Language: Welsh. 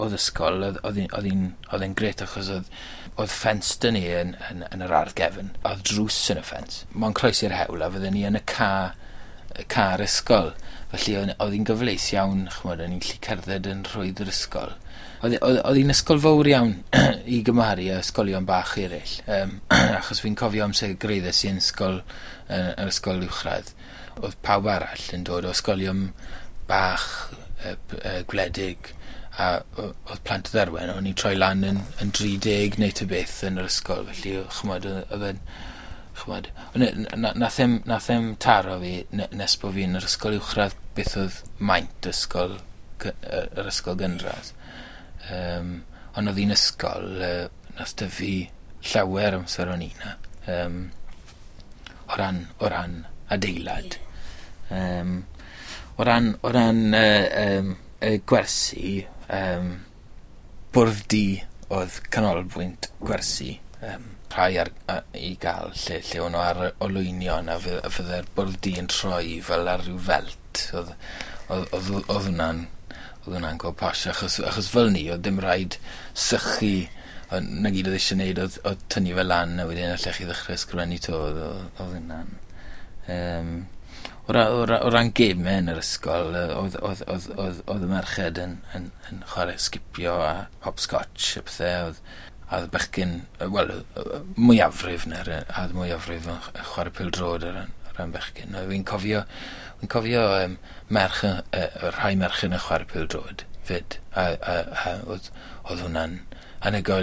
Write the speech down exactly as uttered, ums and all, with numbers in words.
Oedd ysgol, oedd oedd hi'n oedd hi'n oedd e'n grêt achos oedd oedd ffens 'da ni yn, yn, yn yr ardd gefn. Oedd drws yn y ffens. Mae'n croesi'r hewl a fydden ni yn y ca, y car ysgol. Felly oedd oedd hi'n gyfleus iawn, ch'mod, o'n i'n gallu cerdded yn rhwydd yr ysgol. Oedd oedd oedd hi'n ysgol fawr iawn i gymharu â ysgolion bach eraill. Um, achos fi'n cofio amser gyrhaeddes i yn ysgol, uh, yr ysgol uwchradd. Oedd pawb arall yn dod o ysgolion bach, uh, uh, gwledig, a o- oedd plant y Dderwen, o'n i'n troi lan yn, yn dri deg neu ta beth yn yr ysgol, felly ch'mod, oedd oedd e'n, ch'mod, ond na- nath e'm, nath e'm taro fi ne- nes bo fi yn yr ysgol uwchradd beth oedd maint ysgol, gy- yy, yr ysgol gynradd. Um, ond oedd hi'n ysgol, uh, nath dyfu llawer amser o'n i 'na. Um, o ran, o ran adeilad. Um, o ran, o ran uh, um, y gwersi, um, bwrdd du oedd canolbwynt gwersi. Um, rhai ar, a, i gael lle, lle o'n nhw ar y olwynion a fy- a fydde'r bwrdd du yn troi fel ar ryw felt. Oedd, oedd, oedd, oedd hwnna'n oedd hwnna'n go posh achos, achos fel ni, oedd dim rhaid sychu, ond na gyd oedd eisiau gwneud oedd, oedd tynnu fe lan a wedyn allech chi ddechrau ysgrifennu to, oedd, oedd, oedd hwnna'n. Um, o, ra, o, ra, o ran gemau yn yr ysgol, yy, oedd, oedd, oedd, oedd, oedd y merched yn, yn, yn chwarae sgipio a hopscotch a pethau, oedd, a oedd bechgyn, yy, wel, yy, mwyafrif na'r, a oedd mwyafrif yn ch- yn chwarae pêl-droed ar ran, ar ran bechgyn. A fi'n cofio, fi'n cofio um, merch, yy, yy, rhai merched yn chwarae pêl-droed 'fyd, a, a, a oedd, oedd hwnna'n anhygoel.